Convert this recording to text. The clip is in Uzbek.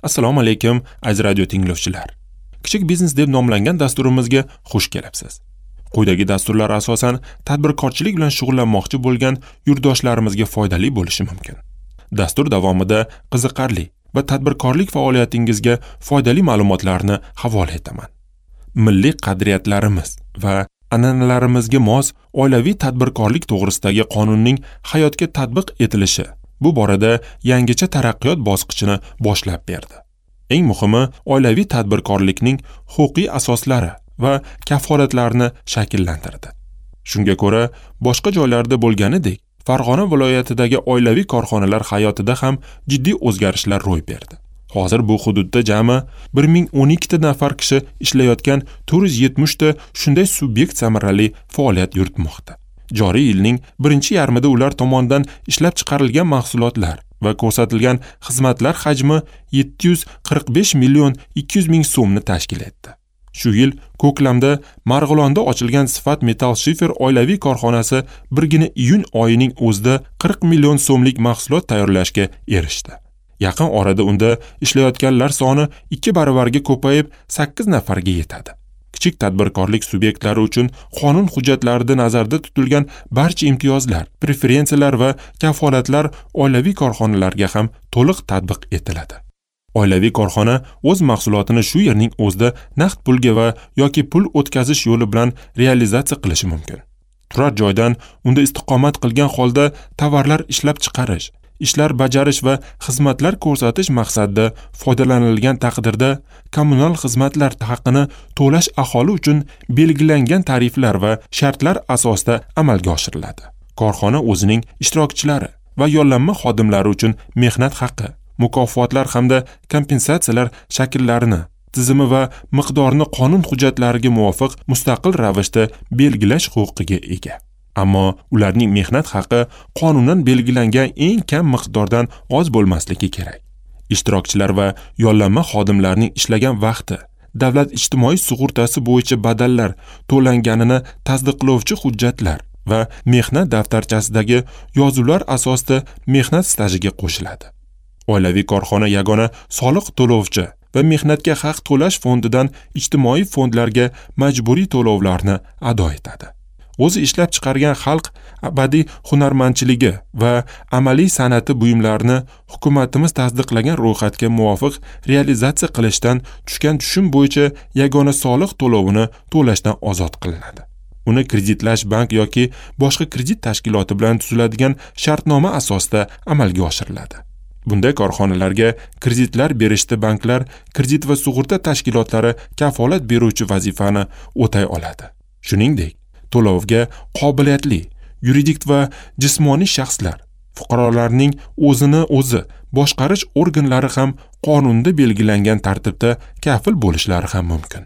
Assalomu alaykum, aziz radio tinglovchilar. Kichik biznes deb nomlangan dasturimizga xush kelibsiz. Quyidagi dasturlar asosan tadbirkorchilik bilan shug'ullanmoqchi bo'lgan yurtdoshlarimizga foydali bo'lishi mumkin. Dastur davomida qiziqarli va tadbirkorlik faoliyatingizga foydali ma'lumotlarni havola etaman. Milliy qadriyatlarimiz va an'analarimizga mos oilaviy tadbirkorlik to'g'risidagi qonunning hayotga tatbiq etilishi bu borada yangicha taraqqiyot bosqichini boshlab berdi. Eng muhimi, oilaviy tadbirkorlikning huquqiy asoslari va kafolatlarini shakllantirdi. Shunga ko'ra, boshqa joylarda bo'lganidek, Farg'ona viloyatidagi oilaviy korxonalar hayotida ham jiddiy o'zgarishlar ro'y berdi. Hozir bu hududda jami 1012 ta nafar kishi ishlayotgan 470 ta shunday subyekt samarali faoliyat yuritmoqda. Joriy yilning birinchi yarmida ular tomonidan ishlab chiqarilgan mahsulotlar va ko'rsatilgan xizmatlar hajmi 745 million 200 ming so'mni tashkil etdi. Shu yil ko'klamda Marg'ilonda ochilgan Sifat Metal Shifer oilaviy korxonasi birgina iyun oyining o'zida 40 million so'mlik mahsulot tayyorlashga erishdi. Yaqin orada unda ishlayotganlar soni 2 baravarga ko'payib 8 nafarga yetadi. Kichik tadbirkorlik subyektlari uchun qonun hujjatlarida nazarda tutilgan barcha imtiyozlar, preferensiyalar va kafolatlar oilaviy korxonalarga ham to'liq tatbiq etiladi. Oilaviy korxona o'z mahsulotini shu yerning o'zida naqd pulga va yoki pul o'tkazish yo'li bilan realizatsiya qilishi mumkin. Turar joydan unda istiqomat qilgan holda tovarlar ishlab chiqarish, ishlar bajarish va xizmatlar ko'rsatish maqsadida foydalanilgan taqdirda kommunal xizmatlar haqini to'lash aholi uchun belgilangan tariflar va shartlar asosida amalga oshiriladi. Korxona o'zining ishtirokchilari va yollanma xodimlari uchun mehnat haqi, mukofotlar hamda kompensatsiyalar shakllarini, tizimi va miqdorini qonun hujjatlariga muvofiq mustaqil ravishda belgilash huquqiga ega. Ammo ularning mehnat haqi qonunan belgilangan eng kam miqdordan oz bo'lmasligi kerak. Ishtirokchilar va yollanma xodimlarning ishlagan vaqti davlat ijtimoiy sug'urtasi bo'yicha badallar to'langanini tasdiqlovchi hujjatlar va mehnat daftarchasidagi yozuvlar asosida mehnat stajiga qo'shiladi. Oilaviy korxona yagona soliq to'lovchi va mehnatga haq to'lash fondidan ijtimoiy fondlarga majburiy to'lovlarni ado etadi. O'zi ishlab chiqargan xalq abadiy hunarmandchiligi va amaliy san'ati buyumlarini hukumatimiz tasdiqlagan ro'yxatga muvofiq realizatsiya qilishdan tushgan tushum bo'yicha yagona soliq to'lovini to'lashdan ozod qilinadi. Uni kreditlash bank yoki boshqa kredit tashkiloti bilan tuziladigan shartnoma asosida amalga oshiriladi. Bunday korxonalarga kreditlar berishda banklar, kredit va sug'urta tashkilotlari kafolat beruvchi vazifani o'tay oladi. Shuningdek, to'lovga qobiliyatli yuridik va jismoniy shaxslar, fuqarolarning o'zini o'zi boshqarish organlari ham qonunda belgilangan tartibda kafil bo'lishlari ham mumkin.